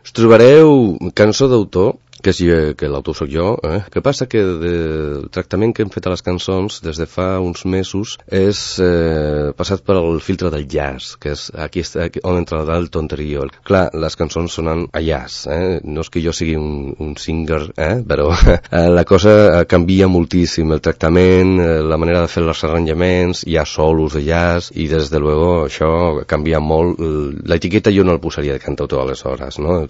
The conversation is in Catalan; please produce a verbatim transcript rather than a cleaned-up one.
Us trobareu cançó d'autor, que, si, que l'autor sóc jo, eh? Que passa que de, el tractament que hem fet a les cançons des de fa uns mesos és eh, passat per el filtre del jazz, que és aquí, aquí on entrarà el tonterio. Clar, les cançons sonen a jazz, eh? No és que jo sigui un, un singer, eh? Però la cosa canvia moltíssim, el tractament, la manera de fer els arranjaments, hi ha solos de jazz i des de luego això canvia molt. L'etiqueta jo no el posaria de cantautor aleshores, no?